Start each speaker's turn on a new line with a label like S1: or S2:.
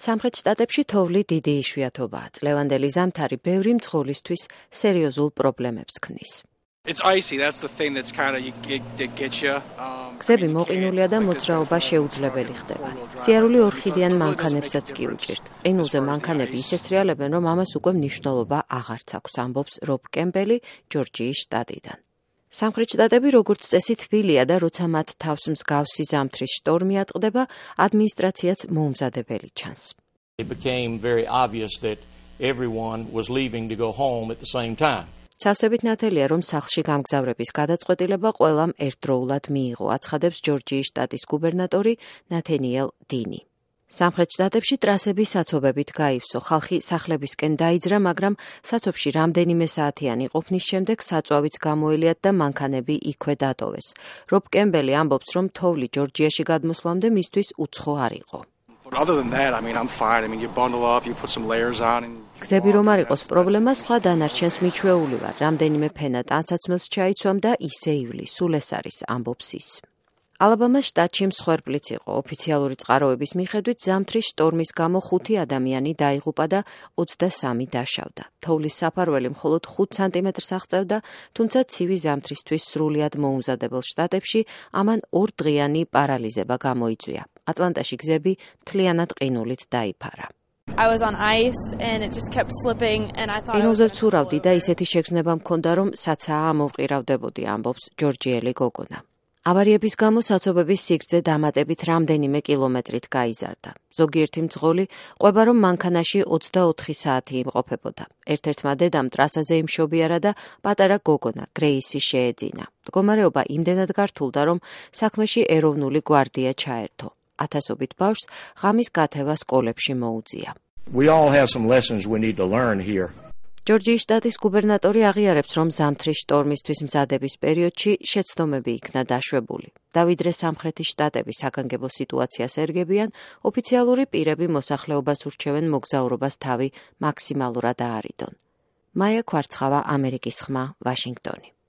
S1: სამხრეთ შტატებში თოვლი დიდი იშვიათობაა. წლევანდელი ზამთარი ბევრი მძღოლისთვის სერიოზულ პრობლემებს ქმნის. გზები მოყინულია და მოძრაობა შეუძლებელი ხდება. სიარული ორხიდიან მანქანებსაც კი უჭირთ. ყინულზე მანქანები ისე სრიალებენ, რომ ამას უკვე მნიშვნელობა აღარც აქვს, ამბობს რობ კემპელი ჯორჯიის შტატიდან. სამხრეთ შტატები როგორც წესი თბილია და როცა მათ თავს მსგავსი ზამთრის შტორმი ატყდება, ადმინისტრაციაც მოუმზადებელი ჩანს.
S2: It became very obvious that everyone was leaving to go home at the same time.
S1: სავსებით ნათელია, რომ სახლში გამგზავრების გადაწყვეტილება ყველამ ერთდროულად მიიღო, აცხადებს ჯორჯიის შტატის გუბერნატორი ნათენიელ დინი. სამხრეთ შტატებში ტრასები საცობებით გაივსო, ხალხი სახლებისკენ დაიძრა, მაგრამ საცობში რამდენიმე საათიანი ყოფნის შემდეგ საწვავიც გამოელიათ და მანქანები იქვე დატოვეს. რობ კემბელი ამბობს, რომ თოვლი ჯორჯიაში გადმოსვლამდე მისთვის უცხო არ იყო. გზები რომ არ იყოს პრობლემა, სხვა დანარჩენს მიჩვეული ვარ. რამდენიმე ფენა ტანსაცმელს ჩაიცვამ და ისე ივლი, სულ ეს არის, ამბობს ის. ალაბამას შტატში მსხვერპლიც იყო. ოფიციალური წყაროების მიხედვით ზამთრის შტორმის გამო 5 ადამიანი დაიღუპა და 23 დაშავდა. თოვლის საფარველი მხოლოდ 5 სანტიმეტრს აღწევდა, თუმცა ცივი ზამთრისთვის სრულიად მოუმზადებელ შტატებში ამან 2 დღიანი პარალიზება გამოიწვია. ატლანტაში გზები მთლიანად ყინულით დაიფარა. ყინულზე ვცურავდი და ისეთი შეგრძნება მქონდა, რომ საცაა ამოვყირავდებოდი, ამბობს ჯორჯიელი გოგონა. ავარიების გამო საცობების სიგრძე დამატებით რამდენიმე კილომეტრით გაიზარდა. ზოგიერთი მძღოლი ყვება, რომ მანქანაში 24 საათი იმყოფებოდა. ერთ-ერთმა დედამ ტრასაზე იმშობიარა და პატარა გოგონა გრეისი შეეძინა. მდგომარეობა იმდენად გართულდა, რომ საქმეში ეროვნული გვარდია ჩაერთო. ათასობით ბავშვს ღამის გათევა სკოლებში მოუწია.
S2: We all have some lessons we need to learn here.
S1: ჯორჯიის შტატის გუბერნატორი აღიარებს, რომ ზამთრის შტორმისთვის მზადების პერიოდში შეცდომები იქნა დაშვებული. და ვიდრე სამხრეთის შტატები საგანგებო სიტუაციას ერგებიან, ოფიციალური პირები მოსახლეობას ურჩევენ მოგზაურობას თავი მაქსიმალურად აარიდონ. მაია ქვარცხავა, ამერიკის ხმა, ვაშინგტონი.